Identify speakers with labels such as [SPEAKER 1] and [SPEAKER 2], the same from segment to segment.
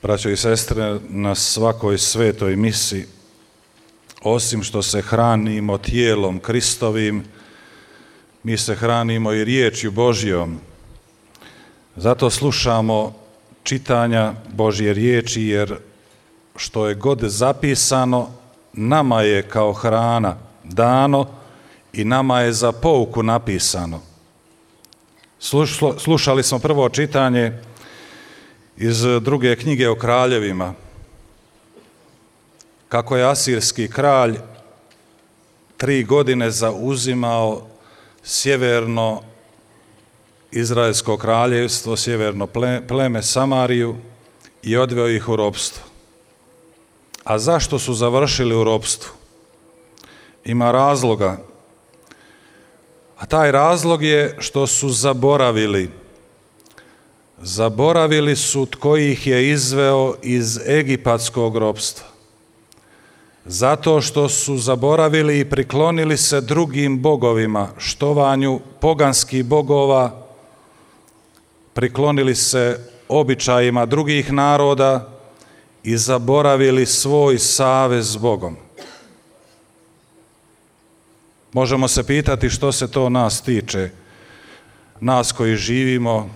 [SPEAKER 1] Braćo i sestre, na svakoj svetoj misi, osim što se hranimo tijelom Kristovim, mi se hranimo i riječju Božjom. Zato slušamo čitanja Božje riječi, jer što je god zapisano, nama je kao hrana dano i nama je za pouku napisano. Slušali smo prvo čitanje iz druge knjige o kraljevima, kako je asirski kralj 3 godine zauzimao sjeverno Izraelsko kraljevstvo, sjeverno pleme Samariju i odveo ih u ropstvo. A zašto su završili u ropstvu? Ima razloga. A taj razlog je što su zaboravili. Zaboravili su tko ih je izveo iz egipatskog ropstva. Zato što su zaboravili i priklonili se drugim bogovima, štovanju poganskih bogova, priklonili se običajima drugih naroda i zaboravili svoj savez s Bogom. Možemo se pitati što se to nas tiče, nas koji živimo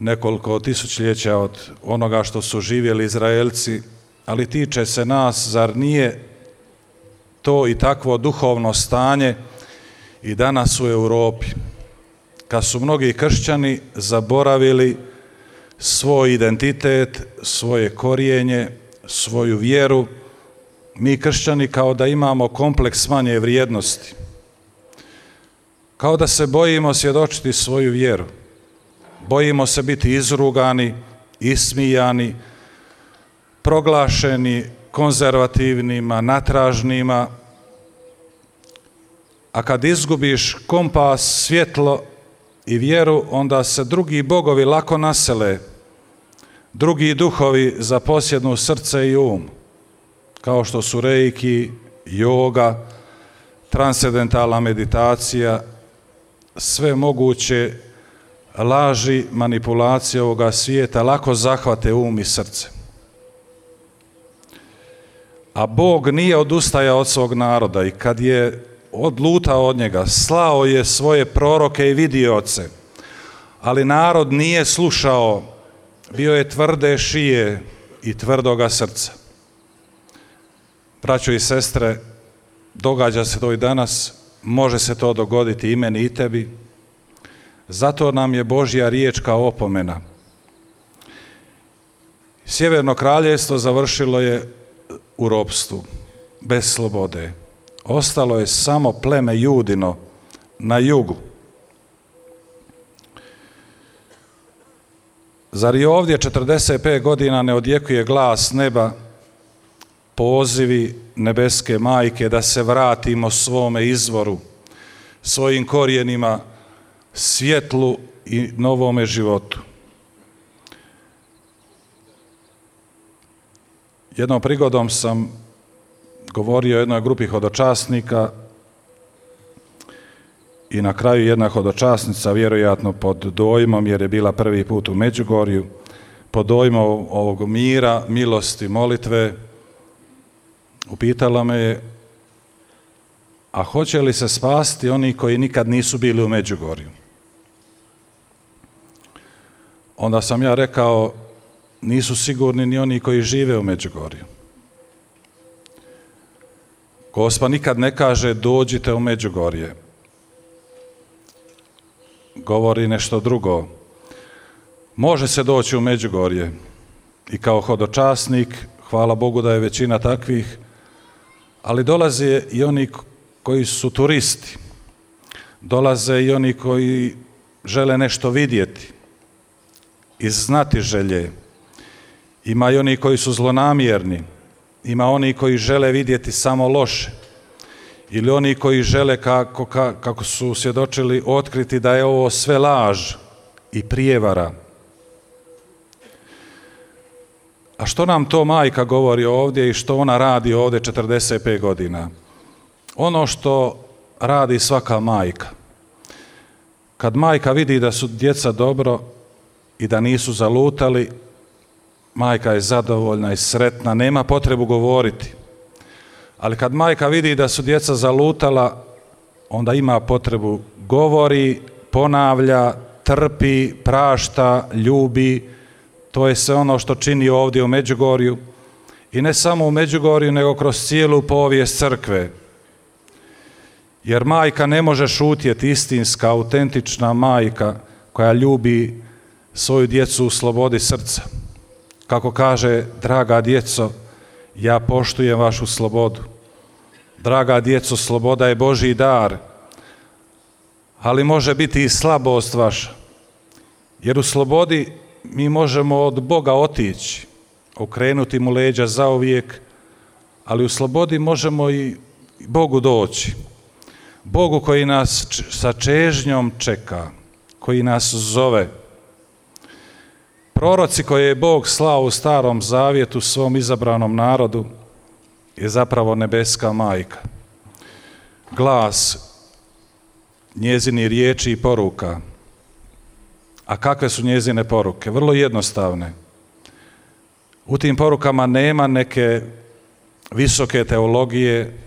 [SPEAKER 1] nekoliko tisućljeća od onoga što su živjeli Izraelci, ali tiče se nas, zar nije to i takvo duhovno stanje i danas u Europi, kad su mnogi kršćani zaboravili svoj identitet, svoje korijenje, svoju vjeru. Mi kršćani kao da imamo kompleks manje vrijednosti, kao da se bojimo svjedočiti svoju vjeru, bojimo se biti izrugani, ismijani, proglašeni konzervativnima, natražnima, a kad izgubiš kompas, svjetlo i vjeru, onda se drugi bogovi lako nasele, drugi duhovi zaposjednu srce i um, kao što su reiki, joga, transcendentalna meditacija, sve moguće laži, manipulacije ovoga svijeta lako zahvate um i srce. A Bog nije odustajao od svog naroda i kad je odlutao od njega, slao je svoje proroke i vidioce, ali narod nije slušao, bio je tvrde šije i tvrdoga srca. Braćo i sestre, događa se to i danas, može se to dogoditi i meni i tebi, zato nam je Božja riječ kao opomena. Sjeverno kraljevstvo završilo je u ropstvu, bez slobode. Ostalo je samo pleme Judino na jugu. Zar i ovdje 45 godina ne odjekuje glas neba, pozivi nebeske majke da se vratimo svome izvoru, svojim korijenima, svjetlu i novome životu? Jednom prigodom sam govorio o jednoj grupi hodočasnika i na kraju jedna hodočasnica, vjerojatno pod dojmom, jer je bila prvi put u Međugorju, pod dojmom ovog mira, milosti, molitve, upitala me je: a hoće li se spasti oni koji nikad nisu bili u Međugorju? Onda sam ja rekao: nisu sigurni ni oni koji žive u Međugorju. Gospa nikad ne kaže dođite u Međugorje. Govori nešto drugo. Može se doći u Međugorje i kao hodočasnik, hvala Bogu da je većina takvih, ali dolaze i oni koji su turisti. Dolaze i oni koji žele nešto vidjeti i znati želje. Ima i oni koji su zlonamjerni, ima oni koji žele vidjeti samo loše, ili oni koji žele, kako su svjedočili, otkriti da je ovo sve laž i prijevara. A što nam to majka govori ovdje i što ona radi ovdje 45 godina? Ono što radi svaka majka. Kad majka vidi da su djeca dobro i da nisu zalutali, majka je zadovoljna i sretna, nema potrebu govoriti. Ali kad majka vidi da su djeca zalutala, onda ima potrebu, govori, ponavlja, trpi, prašta, ljubi. To je sve ono što čini ovdje u Međugorju. I ne samo u Međugorju, nego kroz cijelu povijest crkve. Jer majka ne može šutjeti, istinska, autentična majka koja ljubi svoju djecu u slobodi srca. Kako kaže, draga djeco, ja poštujem vašu slobodu. Draga djeco, sloboda je Božji dar, ali može biti i slabost vaša. Jer u slobodi mi možemo od Boga otići, okrenuti mu leđa zauvijek, ali u slobodi možemo i Bogu doći. Bogu koji nas sa čežnjom čeka, koji nas zove. Proroci koje je Bog slao u Starom Zavjetu svom izabranom narodu je zapravo nebeska majka. Glas njezini riječi i poruka. A kakve su njezine poruke? Vrlo jednostavne. U tim porukama nema neke visoke teologije,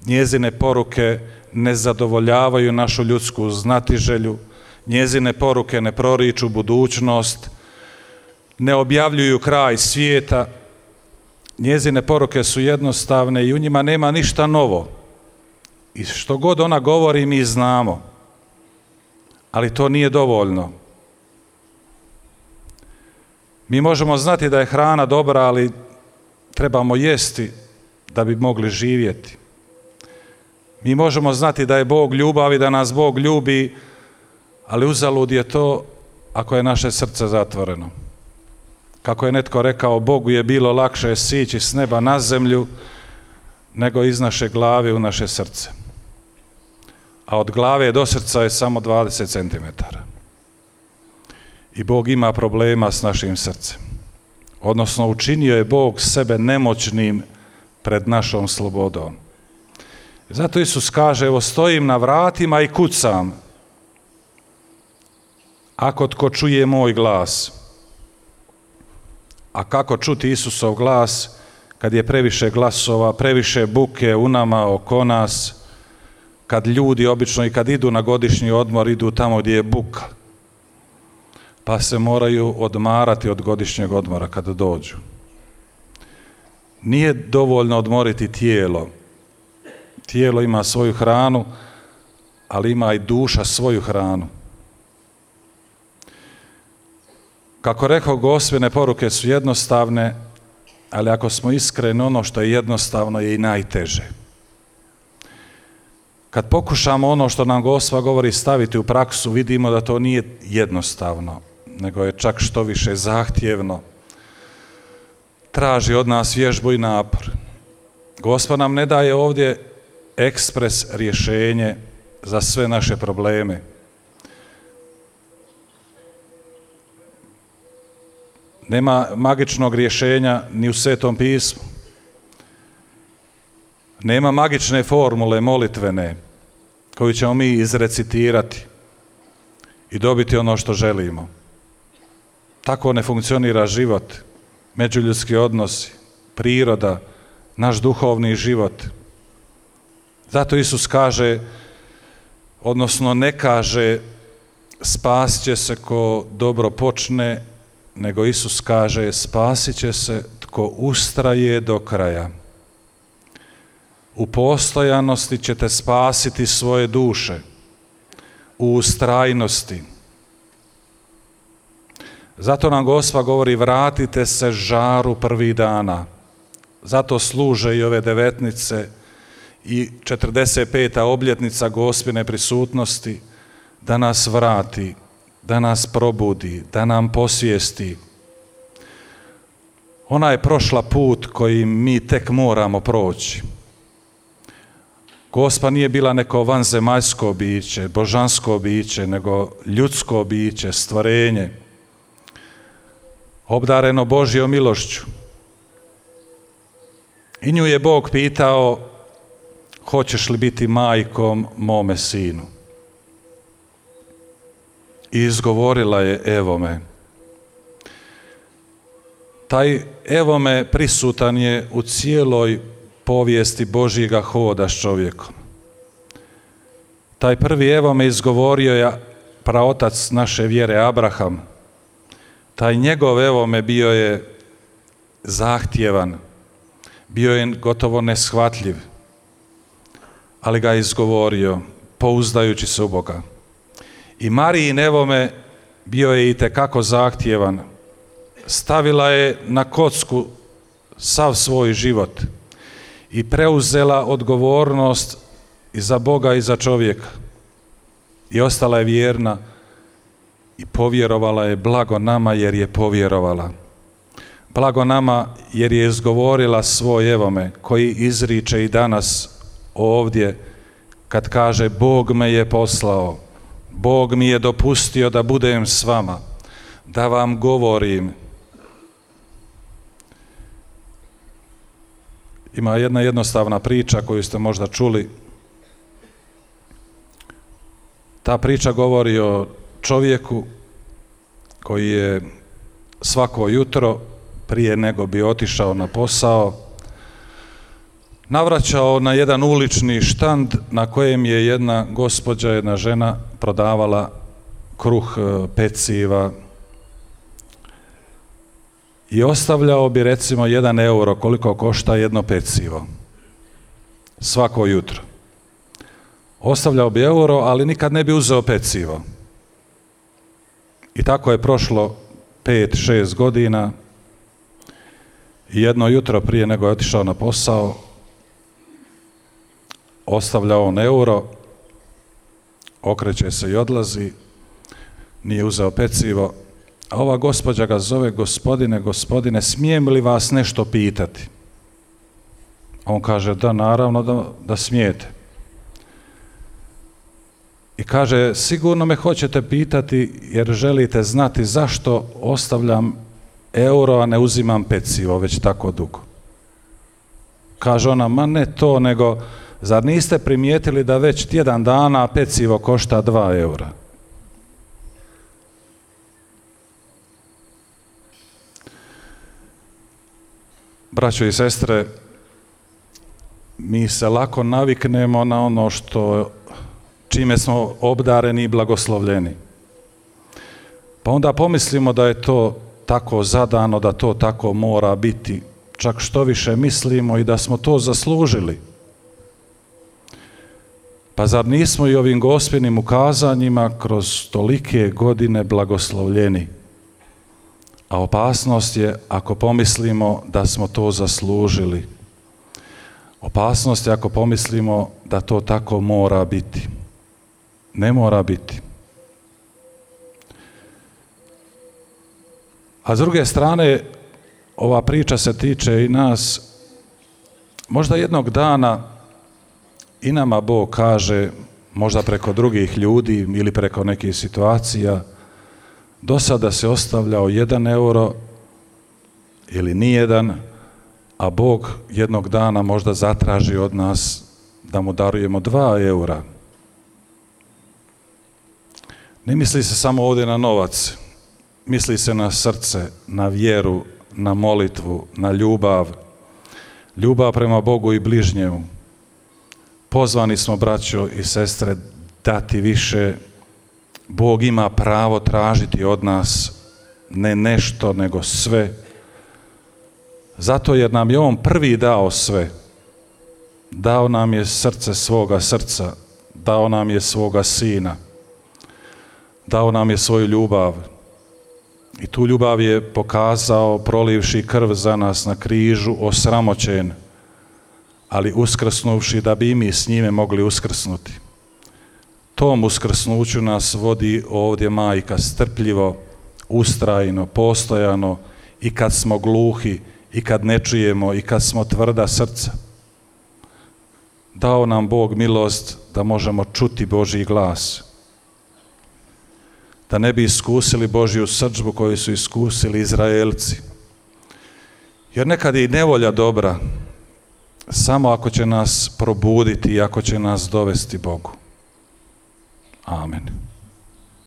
[SPEAKER 1] njezine poruke ne zadovoljavaju našu ljudsku znatiželju, njezine poruke ne proriču budućnost, ne objavljuju kraj svijeta, njezine poruke su jednostavne i u njima nema ništa novo. I što god ona govori mi znamo, ali to nije dovoljno. Mi možemo znati da je hrana dobra, ali trebamo jesti da bi mogli živjeti. Mi možemo znati da je Bog ljubav i da nas Bog ljubi, ali uzalud je to ako je naše srce zatvoreno. Kako je netko rekao, Bogu je bilo lakše sići s neba na zemlju nego iz naše glave u naše srce. A od glave do srca je samo 20 cm. I Bog ima problema s našim srcem. Odnosno, učinio je Bog sebe nemoćnim pred našom slobodom. Zato Isus kaže, evo stojim na vratima i kucam. Ako tko čuje moj glas. A kako čuti Isusov glas kad je previše glasova, previše buke u nama, oko nas, kad ljudi obično i kad idu na godišnji odmor, idu tamo gdje je buka. Pa se moraju odmarati od godišnjeg odmora kada dođu. Nije dovoljno odmoriti tijelo. Tijelo ima svoju hranu, ali ima i duša svoju hranu. Kako rekao, Gospine poruke su jednostavne, ali ako smo iskreni, ono što je jednostavno je i najteže. Kad pokušamo ono što nam Gospa govori staviti u praksu, vidimo da to nije jednostavno, nego je čak što više zahtjevno. Traži od nas vježbu i napor. Gospa nam ne daje ovdje ekspres rješenje za sve naše probleme. Nema magičnog rješenja ni u Svetom pismu. Nema magične formule molitvene koju ćemo mi izrecitirati i dobiti ono što želimo. Tako ne funkcionira život, međuljudski odnosi, priroda, naš duhovni život. Zato Isus kaže, odnosno ne kaže spasit će se ko dobro počne, nego Isus kaže spasit će se tko ustraje do kraja. U postojanosti ćete spasiti svoje duše, u ustrajnosti. Zato nam Gospa govori vratite se žaru prvih dana. Zato služe i ove devetnice i 45. obljetnica Gospine prisutnosti da nas vrati, da nas probudi, da nam posvijesti. Ona je prošla put koji mi tek moramo proći. Gospa nije bila neko vanzemaljsko biće, božansko biće, nego ljudsko biće, stvorenje, obdareno Božjom milošću. I nju je Bog pitao, hoćeš li biti majkom mome sinu? I izgovorila je, evo me. Taj evo me prisutan je u cijeloj povijesti Božjega hoda s čovjekom. Taj prvi evo me izgovorio je praotac naše vjere Abraham. Taj njegov evo me bio je zahtjevan, bio je gotovo neshvatljiv, ali ga je izgovorio pouzdajući se u Boga. I Marijin evo me bio je itekako zahtjevan. Stavila je na kocku sav svoj život i preuzela odgovornost i za Boga i za čovjeka. I ostala je vjerna i povjerovala je. Blago nama jer je povjerovala. Blago nama jer je izgovorila svoj evo me, koji izriče i danas ovdje kad kaže Bog me je poslao, Bog mi je dopustio da budem s vama, da vam govorim. Ima jedna jednostavna priča koju ste možda čuli. Ta priča govori o čovjeku koji je svako jutro prije nego bi otišao na posao navraćao na jedan ulični štand na kojem je jedna gospođa, jedna žena prodavala kruh, peciva i ostavljao bi recimo 1 euro koliko košta jedno pecivo svako jutro. Ostavljao bi euro, ali nikad ne bi uzeo pecivo. I tako je prošlo 5-6 godina i jedno jutro prije nego je otišao na posao ostavlja on euro, okreće se i odlazi, nije uzeo pecivo, a ova gospođa ga zove gospodine, smijem li vas nešto pitati? On kaže da, naravno da smijete. I kaže, sigurno me hoćete pitati jer želite znati zašto ostavljam euro, a ne uzimam pecivo već tako dugo. Kaže ona, ma ne to, nego zar niste primijetili da već tjedan dana pecivo košta 2 eura? Braćo i sestre, mi se lako naviknemo na ono čime smo obdareni i blagoslovljeni. Pa onda pomislimo da je to tako zadano, da to tako mora biti. Čak što više mislimo i da smo to zaslužili. Pa zar nismo i ovim gospelnim ukazanjima kroz tolike godine blagoslovljeni? A opasnost je ako pomislimo da smo to zaslužili. Opasnost je ako pomislimo da to tako mora biti. Ne mora biti. A s druge strane, ova priča se tiče i nas. Možda jednog dana i nama Bog kaže, možda preko drugih ljudi ili preko nekih situacija, do sada se ostavljao 1 euro ili nijedan, a Bog jednog dana možda zatraži od nas da mu darujemo 2 eura. Ne misli se samo ovdje na novac, misli se na srce, na vjeru, na molitvu, na ljubav prema Bogu i bližnjemu. Pozvani smo, braćo i sestre, dati više. Bog ima pravo tražiti od nas ne nešto, nego sve. Zato jer nam je On prvi dao sve. Dao nam je srce svoga srca, dao nam je svoga Sina, dao nam je svoju ljubav. I tu ljubav je pokazao prolivši krv za nas na križu, osramoćen, ali uskrsnuvši da bi i mi s njime mogli uskrsnuti. Tom uskrsnuću nas vodi ovdje Majka strpljivo, ustrajno, postojano, i kad smo gluhi, i kad ne čujemo, i kad smo tvrda srca. Dao nam Bog milost da možemo čuti Božji glas, da ne bi iskusili Božju srdžbu koju su iskusili Izraelci. Jer nekad je i nevolja dobra, samo ako će nas probuditi i ako će nas dovesti Bogu. Amen.